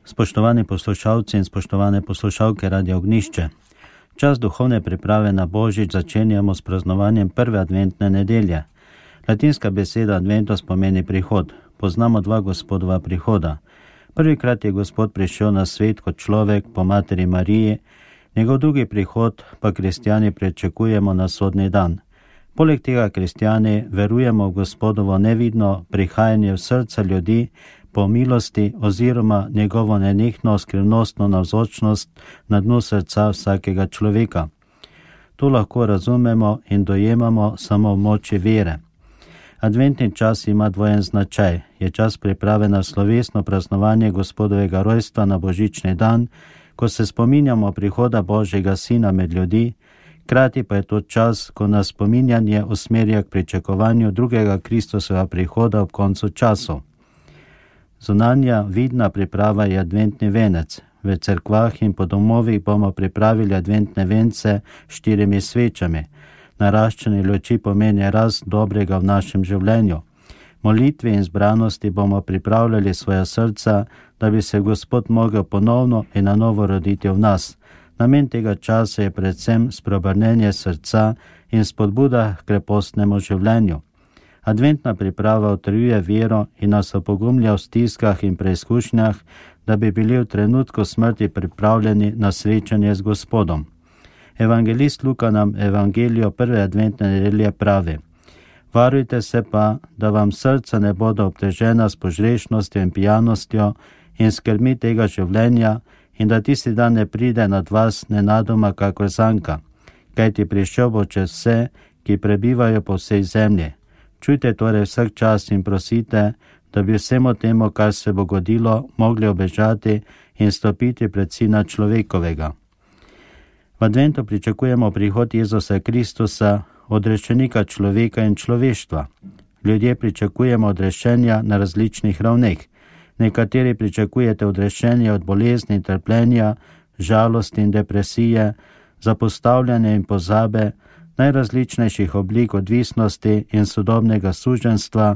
Spoštovani poslušalci in spoštovane poslušalke Radio Ognjišče, čas duhovne priprave na Božič začenjamo s praznovanjem prve adventne nedelje. Latinska beseda adventus pomeni prihod. Poznamo dva Gospodova prihoda. Prvikrat je Gospod prišel na svet kot človek po materi Mariji, njegov drugi prihod pa kristjani pričakujemo na sodni dan. Poleg tega kristjani verujemo v Gospodovo nevidno prihajanje v srca ljudi po milosti oziroma njegovo nenehno skrivnostno navzočnost na dnu srca vsakega človeka. To lahko razumemo in dojemamo samo v moči vere. Adventni čas ima dvojen značaj. Je čas priprave na slovesno praznovanje Gospodovega rojstva na božični dan, ko se spominjamo prihoda Božjega Sina med ljudi, hkrati pa je to čas, ko nas spominjanje usmerja k pričakovanju drugega Kristusovega prihoda ob koncu časov. Zunanja vidna priprava je adventni venec. V cerkvah in po domovih bomo pripravili adventne vence s 4 svečami. Naraščanje luči pomeni rast dobrega v našem življenju. Molitvi in zbranosti bomo pripravljali svoja srca, da bi se Gospod mogel ponovno in na novo roditi v nas. Namen tega časa je predvsem spreobrnenje srca in spodbuda k krepostnemu življenju. Adventna priprava utrjuje vero in nas opogumlja v stiskah in preizkušnjah, da bi bili v trenutku smrti pripravljeni na srečanje z Gospodom. Evangelist Luka nam evangelijo prve adventne nedelje pravi: varujte se pa, da vam srca ne bodo obtežena s požrešnostjo in pijanostjo in skrbmi tega življenja in da tisti dan ne pride nad vas nenadoma kakor zanka, kajti prišel bo čez vse, ki prebivajo po vsej zemlji. Čujte torej vsak čas in prosite, da bi vsemu temu, kar se bo godilo, mogli obežati in stopiti pred Sina človekovega. V adventu pričakujemo prihod Jezusa Kristusa, odrešenika človeka in človeštva. Ljudje pričakujemo odrešenja na različnih ravneh. Nekateri pričakujete odrešenje od bolezni in trpljenja, žalosti in depresije, zapostavljanja in pozabe, najrazličnejših oblik odvisnosti in sodobnega suženjstva,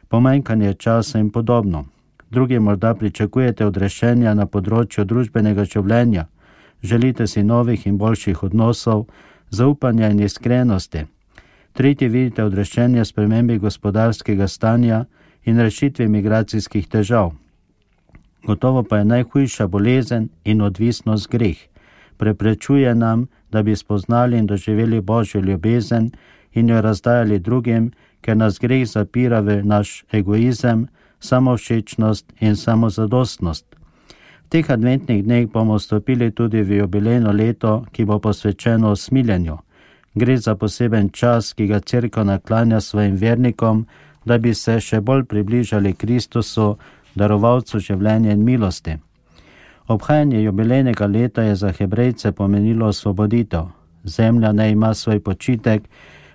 pomanjkanje časa in podobno. Drugi morda pričakujete odrešenja na področju družbenega življenja, želite si novih in boljših odnosov, zaupanja in iskrenosti. Tretji vidite odrešenje spremembi gospodarskega stanja in rešitvi migracijskih težav. Gotovo pa je najhujša bolezen in odvisnost greh. Preprečuje nam, da bi spoznali in doživeli Božjo ljubezen in jo razdajali drugim, ker nas greh zapira v naš egoizem, samovšečnost in samozadostnost. V teh adventnih dneh bomo vstopili tudi v jubilejno leto, ki bo posvečeno usmiljenju. Gre za poseben čas, ki ga Cerkev naklanja svojim vernikom, da bi se še bolj približali Kristusu, darovalcu življenja in milosti. Obhajanje jubilejnega leta je za Hebrejce pomenilo osvoboditev. Zemlja naj ima svoj počitek,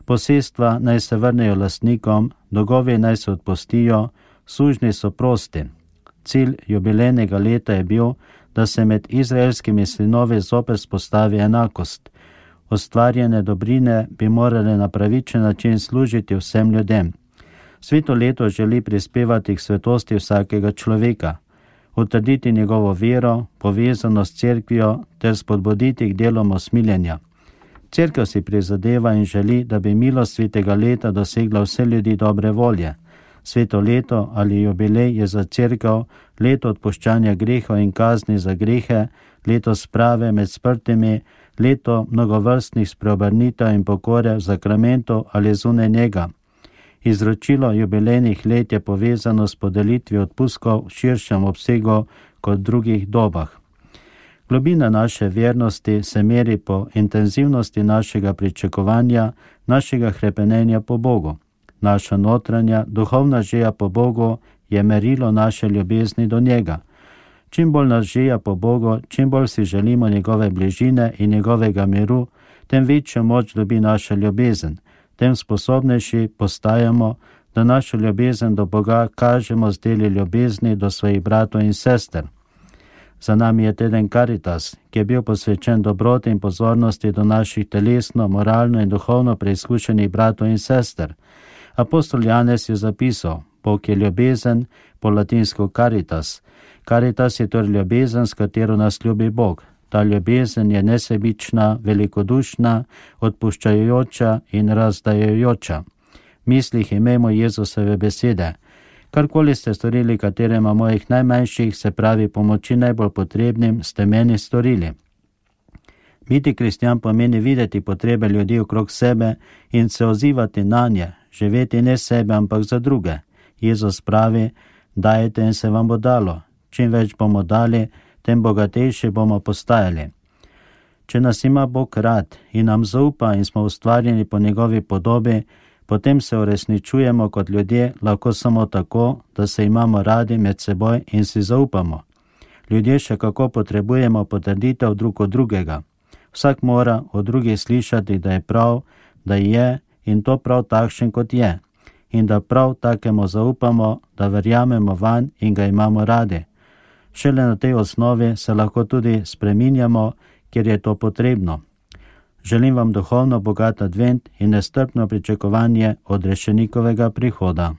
posestva naj se vrnejo lastnikom, dolgovi naj se odpustijo, sužnji so prosti. Cilj jubilejnega leta je bil, da se med izraelskimi sinovi zopet spostavi enakost. Ustvarjene dobrine bi morale na pravičen način služiti vsem ljudem. Sveto leto želi prispevati k svetosti vsakega človeka, utrditi njegovo vero, povezanost s cerkvijo ter spodbuditi k delom usmiljenja. Cerkev si prizadeva in želi, da bi milost svetega leta dosegla vse ljudi dobre volje. Sveto leto ali jubilej je za cerkev leto odpuščanja grehov in kazni za grehe, leto sprave med sprtimi, leto mnogovrstnih spreobrnitev in pokore v zakramentu ali zunaj njega. Izročilo jubilejnih let je povezano s podelitvijo odpustkov v širšem obsegu kot v drugih dobah. Globina naše vernosti se meri po intenzivnosti našega pričakovanja, našega hrepenenja po Bogu. Naša notranja, duhovna želja po Bogu je merilo naše ljubezni do njega. Čim bolj nas želja po Bogu, čim bolj si želimo njegove bližine in njegovega miru, tem večjo moč dobi naša ljubezen. Tem sposobnejši postajamo, da našo ljubezen do Boga kažemo z deli ljubezni do svojih bratov in sester. Za nami je teden Caritas, ki je bil posvečen dobroti in pozornosti do naših telesno, moralno in duhovno preizkušenih bratov in sester. Apostol Janez je zapisal: Bog je ljubezen, po latinsko caritas. Caritas je torej ljubezen, s katero nas ljubi Bog. Ta ljubezen je nesebična, velikodušna, odpuščajoča in razdajajoča. V mislih imejmo Jezusove besede. Karkoli ste storili katerema mojih najmanjših, se pravi pomoči najbolj potrebnim, ste meni storili. Biti kristjan pomeni videti potrebe ljudi okrog sebe in se odzivati na nje, živeti ne sebe, ampak za druge. Jezus pravi, dajte in se vam bo dalo. Čim več bomo dali, tem bogatejši bomo postajali. Če nas ima Bog rad in nam zaupa in smo ustvarjeni po njegovi podobi, potem se uresničujemo kot ljudje lahko samo tako, da se imamo radi med seboj in si zaupamo. Ljudje še kako potrebujemo potrditev drug od drugega. Vsak mora od drugih slišati, da je prav, da je in to prav takšen, kot je. In da prav takemu zaupamo, da verjamemo vanj in ga imamo radi. Šele na tej osnovi se lahko tudi spreminjamo, kjer je to potrebno. Želim vam duhovno bogat advent in nestrpno pričakovanje odrešenikovega prihoda.